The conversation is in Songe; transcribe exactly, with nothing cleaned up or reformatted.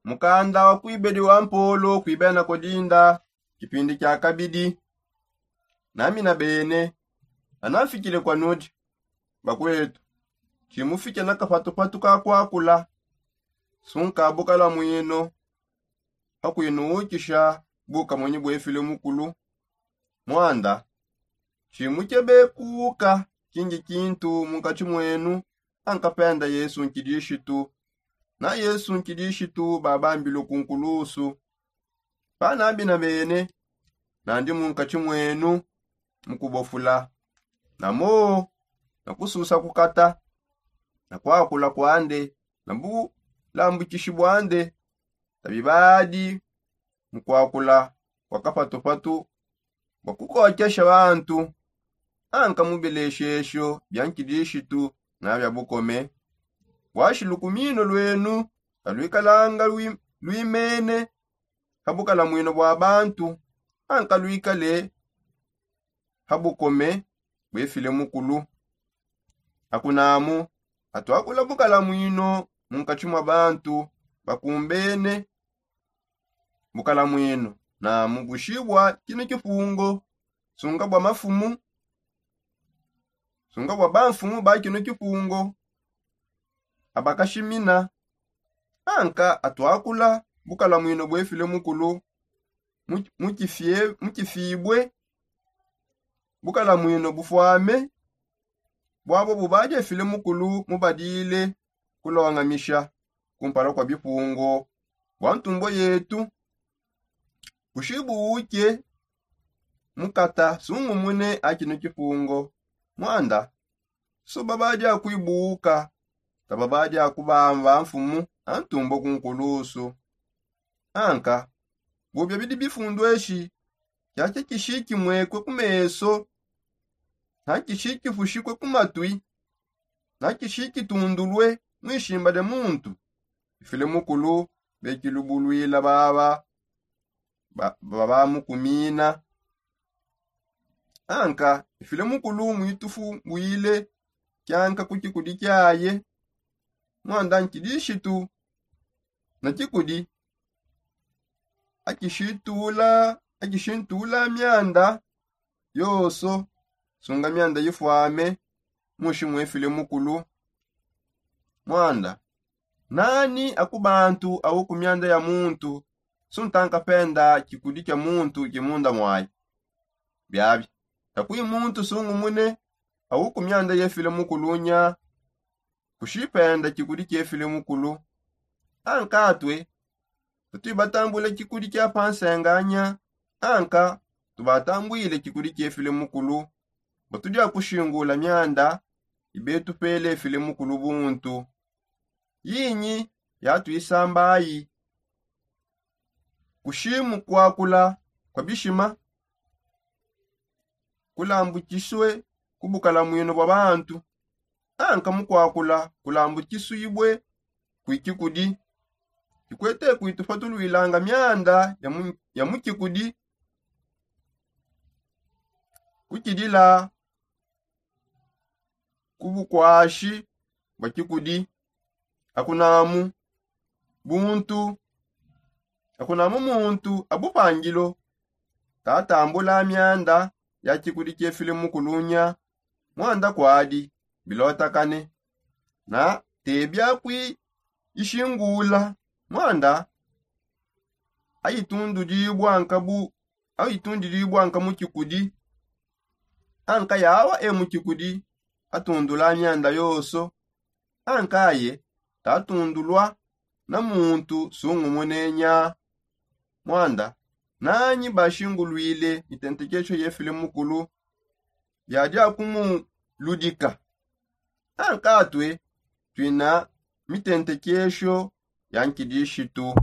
Mukanda wa kuibedi wa mpolo kuibena kodinda kipindi kia kabidi. Nami na bene anamfikile kwa nudi, bakwetu, tshimufike na kapatupatu ka kuakula. Sunka bukala mwino hakuinuukisha bukamonyi bwefile mukulu. Mwanda tshimukebe kuuka kingi kintu munkatshi mwenu, ankapenda yesu nkidishitu. Na yesu nkidishitu babambilwe ku nkulusu. Panambi na bene nandi munkatshi mwenu mukubofula, na moo na kususa kukata na kuakula kuande na bulambukishi buande. Tabi badi mukuakula kua kapatupatu bua kukokesha bantu, anka mu bileshesho bia nkidishitu na bia bukome. Buashi lukumino luenu kaluikalanga luimene ha bukalamwino bua bantu, anka luikale ha bukome buefile mukulu. Akunamu atuakula bukalamwino munkatshi mua bantu bakumbene. Bukalamwino namu bushibua kinu kipungo, sunga bua mafumu, sunga bua bamfumu ba kinu kipungo abakashimina. Anka atuakula bukalamwino buefile mukulu mukifibue. Bukalamwino bufuame buabo bubadi efile mukulu mubadile kulongamisha kumpala kua bipungo bua ntumbo yetu. Bushibuuke mukata sungumune akinu kipungo. Mwanda suba badi akuibuuka taba badi akubamba mfumu antumbo ku nkulusu. Anka bubia bidi bifundueshi kiakia kishikimwekue ku meso na kishikifushikue ku matui na kishikitundulue mu ishimba dia muntu. Ifile mukulu bekilubuluila baba babamukumina. Anka ifile mukulu muitufubuile kianka ku kikudi kiaye. Mwanda nkidishitu na kikudi akishintula akishintula mianda yonso. Sunga mianda yifuame mushi muefile mukulu. Mwanda nani aku bantu au ku mianda ya muntu? Suntanka penda kikudi kia muntu ki munda muayi. Biabi takui muntu sungumune au ku mianda yefile mukulu nya kushipenda kikudi kiefile mukulu. Ankatue patui batambula kikudi kia pansenganya anka tubatambuile kikudi kiefile mukulu. Batudi akushingula mianda ibetupele efile mukulu buntu. Yinyi yatuisambayi? Kushimu kuakula kua bishima kulambukisue ku bukalamwino bua bantu. Anka mu kuakula kulambukisuibue kui kikudi kikwete kuitupatuluilanga mianda ya mu kikudi kukidila ku bukuashi bua kikudi. Akunamu buntu akunamu muntu abupangilo katambula mianda ya kikudi kiefile mukulunya. Mwanda kuadi bilotakane na tebia kui ishingula mwanda ayitundudibua nkabu ayitundidibua nka mu kikudi. Anka yawa e mu kikudi atundula mianda yonso. Anka aye tatundulua na muntu sungumune nya. Mwanda nanyi bashinguluile mitentekesho yefile mukulu yadi akumuludika. Ankatue tuina mitentekesho ya nkidishitu.